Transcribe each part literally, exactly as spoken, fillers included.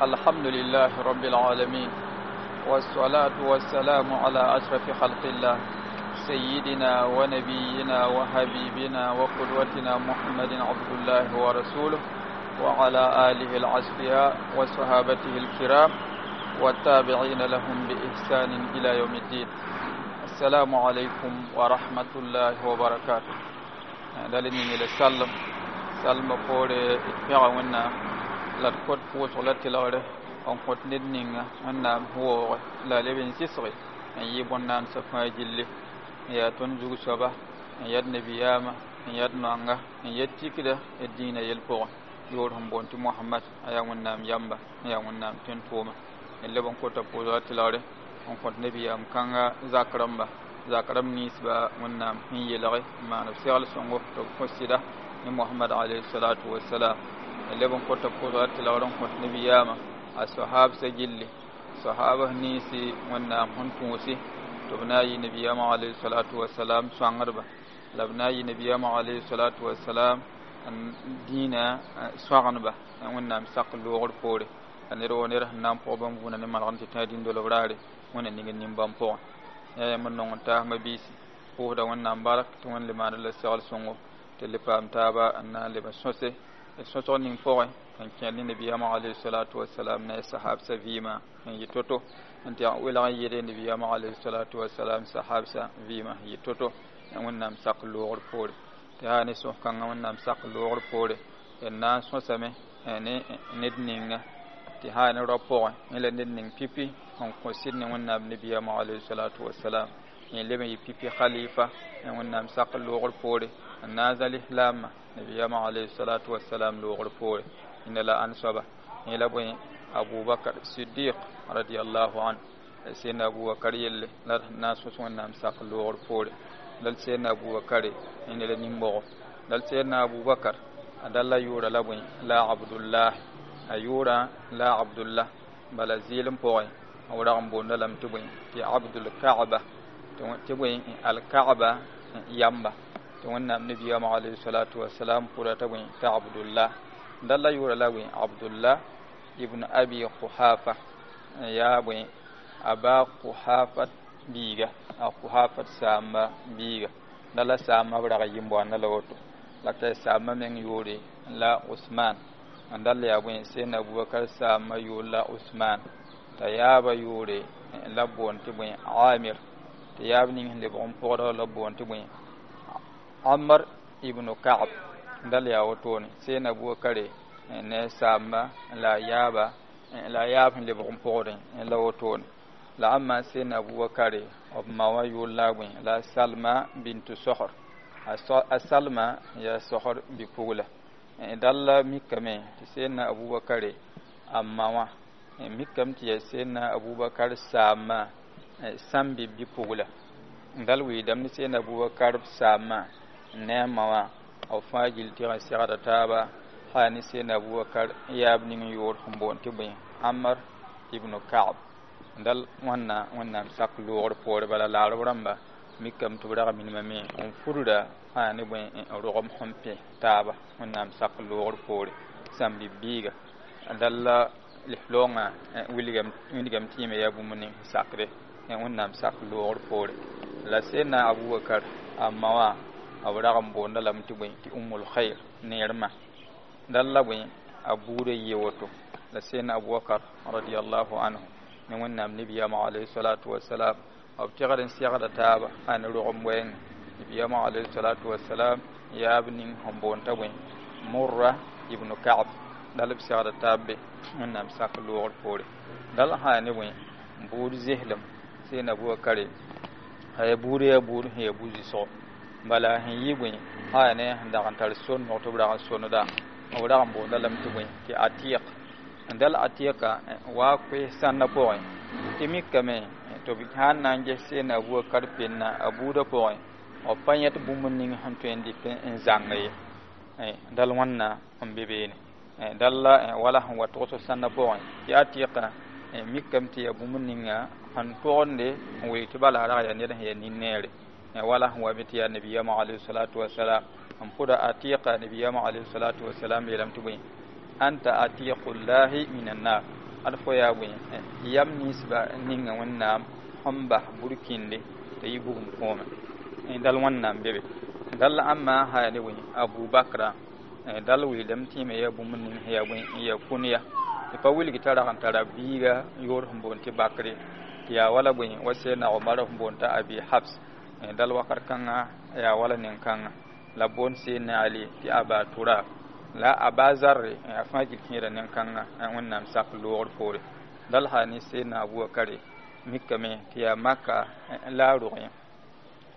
الحمد لله رب العالمين والصلاة والسلام على أشرف خلق الله سيدنا ونبينا وحبيبنا وقدوتنا محمد عبد الله ورسوله وعلى آله الأصفياء وصحابته الكرام والتابعين لهم بإحسان إلى يوم الدين. السلام عليكم ورحمة الله وبركاته. دلني إلى سلم سلم فوري اتبعونا la d kõt pʋʋsg la tɩlgre n kõt ned ninga Wẽnnaam woooge la a leb n sɩsge n yɩ bõn-naandsã fãa gilli n yaa tõnd zug soaba n yad nabiyaamã n yad noanga n yet tikda d dĩinã yell pʋgẽ yoor sẽn boond tɩ Mohamad a yaa Wẽnnaam yamba n yaa Wẽnnaam tẽn-tʋʋma n leb n kota pʋʋsga tɩlgre n kõt nabiyaam kãnga zak rãmba zak rãmb ninsba Wẽnnaam sẽn yelge n maan b segl sõngo tɩ b kõ sɩda ne Mohamad alayhi salatu wasalam leb n kota pʋʋsga tɩlgr n kõt nabiyaamã a sahabsã gilli sahabs ninsi Wẽnnaam sẽn tũusi tɩ b na n yɩ nabiyaamã alayhi salatu wasalam sõangdba la b na n yɩ nabiyaamã alayhi salatu wasalam n dĩinã sõagendba Wẽnnaam sak loogr poore la ned woo ned sẽn na n pʋg bãmb vũuna ne malgem tɩ tã dĩn-dolb raare Wẽnna ning nin-bãmb pʋgẽ yaa yãmb n nong n taasmã biisi pʋʋsda Wẽnnaam bark tɩ Wẽnd le maand la segl sõngo tɩ le paam taaba n na n leb n sõse sõsg ning pʋgẽ n kẽer ne nabiyaamã alayhi salatu wasalam ne a sahabsã vɩɩmã n yɩ to-to n tɩ welg n yɩɩd nabiyaamã alayhi salatu wasalam sahabsã vɩɩmã n yɩ to-to Wẽnnaam sak loogr poore tɩ yaa ne sõs-kãngã Wẽnnaam sak loogr poore d na n sõsame ne ned ninga tɩ yaa ne rao pʋgẽ yẽ la ned ning pipi n kõ sɩd ne Wẽnnaam nabiyaamã alayhi salatu wasalam yẽ leb n yɩ pipi khalifa Wẽnnaam sak loogr poore n na n zãl islaamã nabiyaamã alayhi salatu wasalam loogr poore yẽnda la ãn soaba yẽ la bõe Abubakar Sidiq radiallahu anhu sẽnda Abubakar yelle la d na n sõs Wẽnnaam sak loogr poore dal sẽnda Abubakar yẽnda la nin-bogo dal sẽnda Abubakar a dal la yʋʋra la bõe la Abdullah a yʋʋra la Abdullah bala zɩɩlem pʋgẽ b rag n boonda lame tɩ bõe tɩ Abdul Kaaba tɩ bõe Alkaaba yamba tɩ Wẽnnaam nabiyaamã alayhi salatu wasalam pʋda t'a bõe t'a Abdullah dal la yʋʋra la bõe Abdullah ibn Abi Quhafa yaa bõe Aba Quhafa biiga a Quhafat saamba biiga dal la saamba b rag n yɩ n la woto la ka saamba meng yʋʋre la Usman n dal yaa bõe sẽnda Abubakar saamba yʋʋr la Usman t'a yaaba yʋʋre la boond tɩ bõe Amir tɩ yaab ning sẽn lebg n pʋgdg la boond tɩ bõe Amr ibn Ka'b dal yaa wotone sẽnda Abubakar ne saamba la yaaba la yaab sẽn lebg n pʋgdẽ la wotone la ãmba sẽnda Abubakar b ma wã yʋʋr la bõe la Salma bintu Sohr a Salma yaa Sohr bi-pugla dal la mikame tɩ sẽnda Abubakar a ma wã mikame tɩ yaa sẽnda Abubakar saamba sãmbi bi-pugla dal wɩɩdame ne sẽnda Abubakar saamba ne a ma wã b fãa gill tɩg n segda taaba yaa ne sẽnda Abubakar yaab ning yʋʋr sẽn boond tɩ bõe Amr ibn Ka'b dal wãnna Wẽnnaam sak loogr poore bala laarb rãmba mikame tɩ b rag minimame n fudra yaa ne bõe rogem sẽn pẽ taaba Wẽnnaam sak loogr poore sãmbi biiga dal la lislaoongã wilgame tɩ yẽme yaa bũmb ning sẽn sakde Wẽnnaam sak loogr poore la sẽnda Abubakar a ma wã b rag n boonda lame tɩ bõe tɩ Ummul Khair neermã dal la bõe a buudã yɩ woto la sẽnda Abubakar radiallahu anhu ne Wẽnnaam nabiyaamã alayhi salatu wasalam b tɩgd n segda taaba a ne rogem wɛɛngẽ nabiyaamã alayhi salatu wasalam yaab ning sẽn boond t'a bõe Murra ibn Ka'b dal b segda taab be Wẽnnaam sak loogr poore dal sã yaa ne bõe buud zeslem sẽnda Abubakar a yaa buud yaa buud sẽn yaa bu-zɩsgo bala sẽn yɩ bõe sã yaa ne sẽn dag n tar sonnog tɩ b rag n sonda b rag n boonda lame tɩ bõe tɩ Atiq n dal Atiqa waa koes sãnda pʋgẽ tɩ mikame tɩ b sãn na n ges sẽnda Abubakar penna a buudã pʋgẽ b pa yẽt bũmb ning sẽn tõe n dɩk n zãng ye dal wãnna n be beene dal la wala sẽn wa togsg sãnda pʋgẽ tɩ Atiqa mikame tɩ yaa bũmb ninga sẽn togende n wilg tɩ bala rag yaa ned sẽn yaa nin-neere wala sẽn wa me tɩ yaa nabiyaamã alayhi salatu wasalam n pʋda Atiqa nabiyaamã alayhi salatu wasalam yeelame tɩ bõe anta atiqullahi min annar Ad fo yaa bõe yam ninsba ninga Wẽnnaam sẽn bas burkĩnde t'a yɩ bugum kõome. Dal Wẽnnaam be be dal ãmma sã yaa ne bõe Abubakra dal wilgdame tɩ yẽ me yaa bũmb ning sẽn yaa bõe n yaa kũnya tɩ pa wilg t'a rag n tara biiga yoor sẽn boond tɩ Bakre tɩ yaa wala bõe wa Sɛdna Omar sẽn boond t'a Abi Habs dal wakat kãngã yaa wala nin-kãngã la b boond Sɛdna Ali tɩ Aba Turab la Aba Zarre a fãa gil kẽeda nin-kãngã Wẽnnaam sak loogr poore dal sã ne Sɛdna Abubakare mikame tɩ yaa Maka la a rog yẽ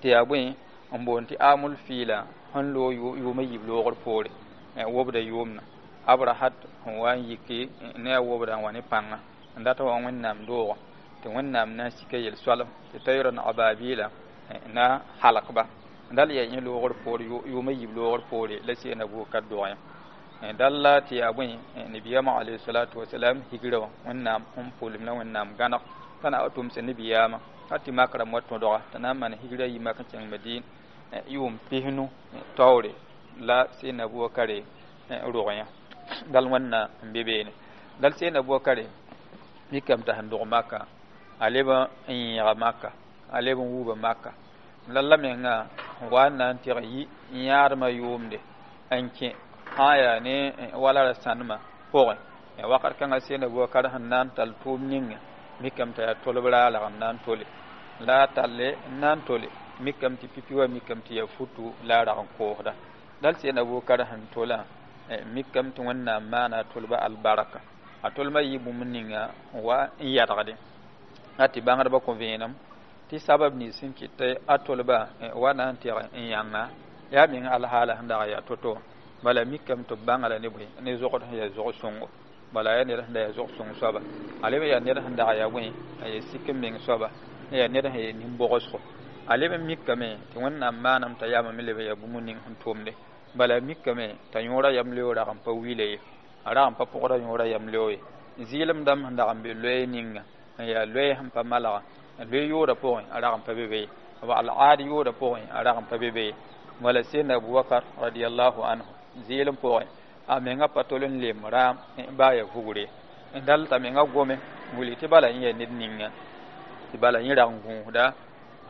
tɩ yaa bõe n boond tɩ amul fiila sẽn loog yʋʋma yiib loogr poore wobda yʋʋmna Abrahat sẽn wa n yiki ne a wobda n wa ne pãnga n dat wa Wẽnnaam doogã tɩ Wẽnnaam na n sika yel-soalem tɩ tayran ababila na halkba dal yaa yẽ loogr poore yʋʋma yiib loogr poore la Sɛdna Abubakar dog yẽ dal la tɩ yaa bõe nabiyaamã alayhi salatu wasalam higra wã Wẽnnaam sẽn pʋlem la Wẽnnaam gãneg t'a na wa tʋmsa nabiyaamã t'a tɩ mak rãmb wa tõdga t'a na n maan higra yi mak n kẽng Madin yʋʋm pisnu taoore la Sɛdna Abubakare rog yẽ dal Wẽnna n be beene dal Sɛdna Abubakare mikame t'a sẽn dog Maka a leb n yẽega Maka a leb n wuuba Maka la la menga wa n na n tɩg yi n yãadmã yʋʋmde n kẽ sã n yaa ne wala ra sãnemã pʋgẽ wakat kãngã Sɛdna Abubakar sẽn na n tall tʋʋm ninga mikame t'a yaa tolb raalag n na n tole la a talle n na n tole mikame tɩ pipi wa mikame tɩ yaa futu la a rag n koosda dal Sɛdna Abubakar sẽn tolã mikame tɩ Wẽnnaam maana a tolba albarka a tolmã yɩ bũmb ninga n wa n yadgde a tɩ bãngdbã kõ vẽenem tɩ sabab nins sẽn kɩt a tolba wa na n tɩg n yãnga yaa meng alhaala sẽn dag yaa to-to bala mikame tɩ b bãnga la ne bõe ne zogd sẽn yaa zog-sõngo bala yaa ned sẽn da yaa zog-sõng soaba a leb yaa ned sẽn dag yaa bõe a yaa sik n meng soaba yaa ned sẽn yaa nin-bogsgo a leb n mikame tɩ Wẽnnaam maanam t'a yaama me leb n yaa bũmb ning sẽn tʋmde bala mikame t'a yõora yamleoog rag n pa wila ye a rag n pa pʋgda yõora yamleoog ye zɩɩlem dãmb sẽn dag n be loɛɛ ninga n yaa loɛɛ sẽn pa malga loe yooda pʋgẽ a rag n pa be be ye b al-aad yooda pʋgẽ a rag n pa be be ye wala Sɛdna Abubakar radiallahu anhu zɩɩlem pʋgẽ a menga pa tol n lem raam baa yaa vugre n dal t'a menga gome n wilg tɩ bala yẽ yaa ned ninga tɩ bala yẽ rag n gũusda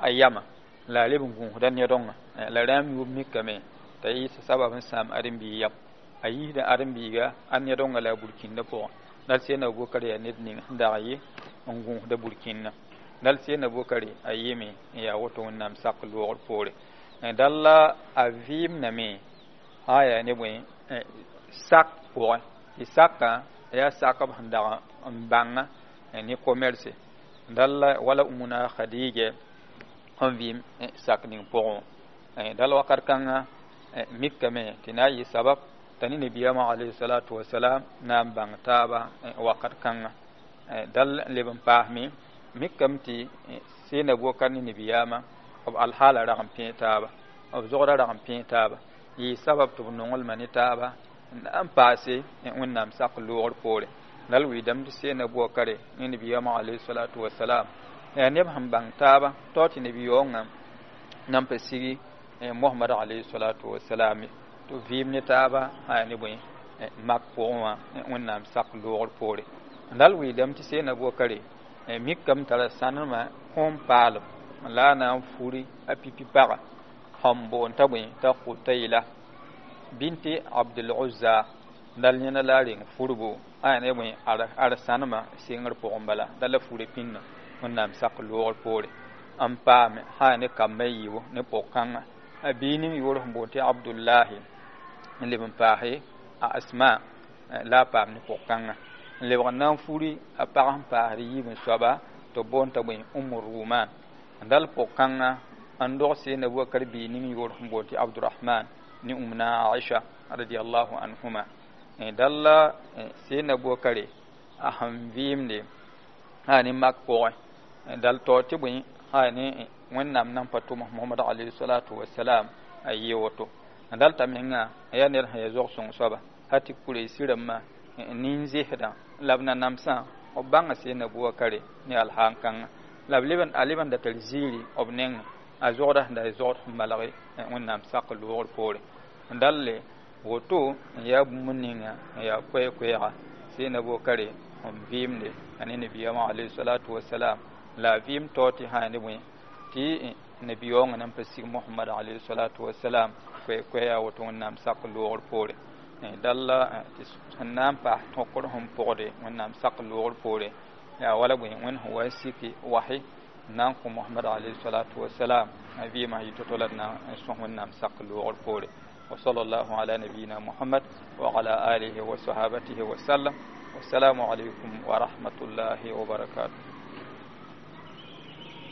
a yama la a leb n gũusda ned-dõngã la rãam yʋʋm mikame t'a yɩɩs sabab n sãam ãdem-biig yam a yiisda ãdem-biiga a ned-dõngã la a burkĩndã pʋgẽ dal Sɛdna Abubakar yaa ned ning sẽn dag yɩ n gũusda burkĩndã dal Sɛdna Abubakar a yɩme n yaa woto Wẽnnaam sak loogr poore dal la a vɩɩmdame sã n yaa ne bõe sak pʋgẽ tɩ sakã yaa sakb sẽn dag n bãnga ne commerce dal la wala Umuna Khadija sẽn vɩɩm sak ning pʋgẽ wã dal wakat kãngã mikame tɩ na n yɩ sabab t'a ne nabiyaamã alayhi salatu wasalam na n bãng taaba wakat kãngã dal n leb n paasme mikame tɩ Sɛdna Abubakar ne nabiyaamã b alhaala rag n pẽe taaba b zogda rag n pẽe taaba yɩ sabab tɩ b nonglmã ne taaba n paase Wẽnnaam sak loogr poore dal wilgdame tɩ Sɛdna Abubakare ne nabiyaamã alayhi salatu wasalam yaa neb sẽn bãng taaba tao tɩ nabi-yaoongã nan pa sigi Mohamad alayhi salatu wasalam tɩ vɩɩm ne taaba sã yaa ne bõe mak pʋgẽ wã Wẽnnaam sak loogr poore dal wilgdame tɩ Sɛdna Abubakare mikame tara sãnemã kõom paalem la a na n furi a pipi paga sẽn boond t'a bõe t'a Kutayla binti Abdul Uzza dal yẽna la a reng furbo a yaa ne bõe ad sãnemã sengr pʋgẽ bala dal la fura pĩnda Wẽnnaam sak loogr poore n paame sã yaa ne kambã yiibu ne pʋg-kãngã a bii ning yʋʋr sẽn boond tɩ Abdullahi n leb n paase a Asma la a paam ne pʋg-kãngã n lebg n na n furi a pag sẽn paasd yiib n soaba tɩ b boond t'a bõe Umu Ruman dal pʋg-kãngã n dog Sɛdna Abubakar bii ning yʋʋr sẽn boond tɩ Abdurahman ne Umna Aisha radiallahu anhuma dal la Sɛdna Abubakare a sẽn vɩɩmde sã ne mak pʋgẽ dal tao tɩ bõe sã ne Wẽnnaam nan pa tʋm Mohamad alayhi salatu wasalam a yɩ woto dal t'a menga yaa ned sẽn yaa zog-sõng soaba hal tɩ Kurɛsi rãmbã nin-zesdã la b nanamsã b bãnga Sɛdna Abubakare ne alhaan kãngã la b leb a leb n da tar ziiri b nengẽ a zogda sẽn da yaa zogd sẽn malg Wẽnnaam sak loogr poore dalle woto n yaa bũmb ninga n yaa koɛɛ-koɛɛga Sɛdna Abubakare n vɩɩmde a ne nabiyaamã alayhi salatu wasalam la a vɩɩm tao tɩ sã ne bõe tɩ nabiyaoongã nan pa sig Mohamad alayhi salatu wasalam koɛ-koɛ yaa woto Wẽnnaam sak loogr poore. Dalla tɩ sẽn na n paas tõkr sẽn pʋgde Wẽnnaam sak loogr poore yaa wala bõe Wẽnd sẽn wa n siki wahi n na n kõ Mohamad alayhi salatu wasalam a vɩɩmã yɩ to-to la d na n sõs Wẽnnaam sak loogr poore. وصلى الله على نبينا محمد وعلى آله وصحابته وسلم، والسلام عليكم ورحمة الله وبركاته.